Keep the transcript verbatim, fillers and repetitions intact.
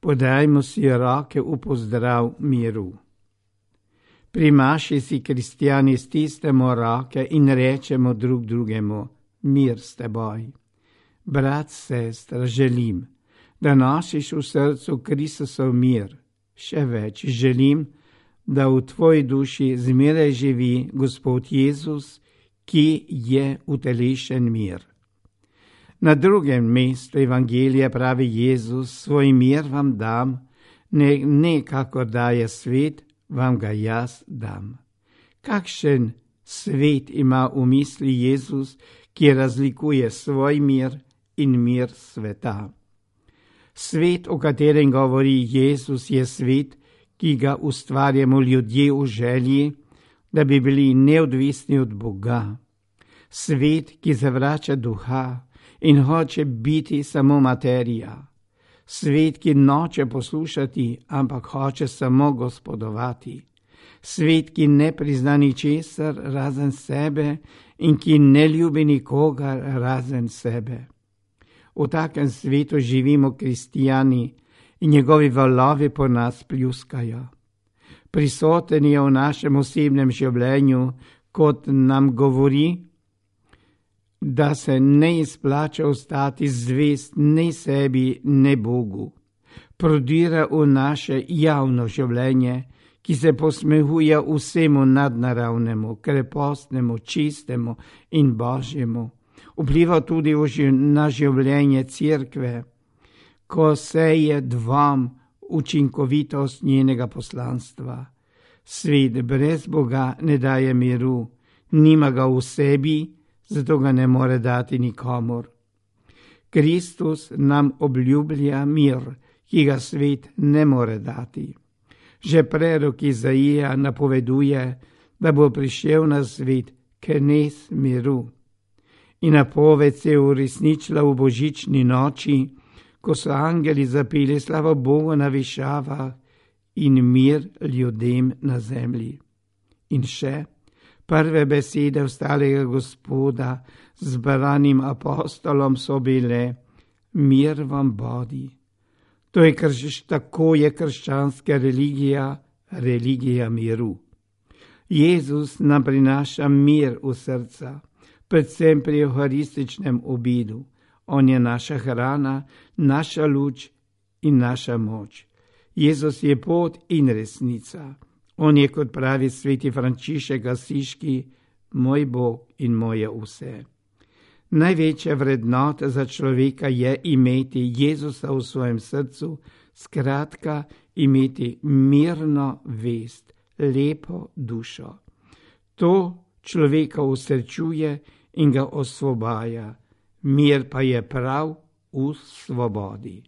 Podajmo si roke v pozdrav miru. Pri maši si kristjani stisnemo roke in rečemo drug drugemu: mir s teboj. Brat, sestra, želim, da nosiš v srcu Kristusov mir. Še več, želim, da v tvoji duši zmeraj živi Gospod Jezus, ki je utelešen mir. Na drugem mestu Evangelija pravi Jezus: svoj mir vam dam, ne, ne kakor daje svet, vam ga jaz dam. Kakšen svet ima v misli Jezus, ki razlikuje svoj mir in mir sveta? Svet, o katerem govori Jezus, je svet, ki ga ustvarjamo ljudje v želji, da bi bili neodvisni od Boga. Svet, ki zavrača duha in hoče biti samo materija. Svet, ki noče poslušati, ampak hoče samo gospodovati. Svet, ki ne prizna ničesar razen sebe in ki ne ljubi nikogar razen sebe. V takem svetu živimo kristijani in njegovi valovi po nas pljuskajo. Prisoten je v našem osebnem življenju, kot nam govori, da se ne izplača ostati zvest ne sebi, ne Bogu. Prodira v naše javno življenje, ki se posmehuje vsemu nadnaravnemu, krepostnemu, čistemu in božjemu. Vpliva tudi na življenje cerkve, ko seje dvom učinkovitost njenega poslanstva. Svet brez Boga ne daje miru, nima ga v sebi, zato ga ne more dati nikomur. Kristus nam obljublja mir, ki ga svet ne more dati. Že prerok Izaija napoveduje, da bo prišel na svet knez miru. In napoved se je uresničila v božični noči, ko so angeli zapeli slavo Bogu na višavah in mir ljudem na zemlji. In še prve besede ostalega Gospoda zbranim apostolom so bile: mir vam bodi. To je krš, tako je krščanska religija, religija miru. Jezus nam prinaša mir v srca, predvsem pri euharističnem obidu. On je naša hrana, naša luč in naša moč. Jezus je pot in resnica. On je, kot pravi sveti Frančišek Asiški, moj Bog in moje vse. Največja vrednota za človeka je imeti Jezusa v svojem srcu, skratka imeti mirno vest, lepo dušo. To človeka usrečuje in ga osvobaja. Mir pa je prav v svobodi.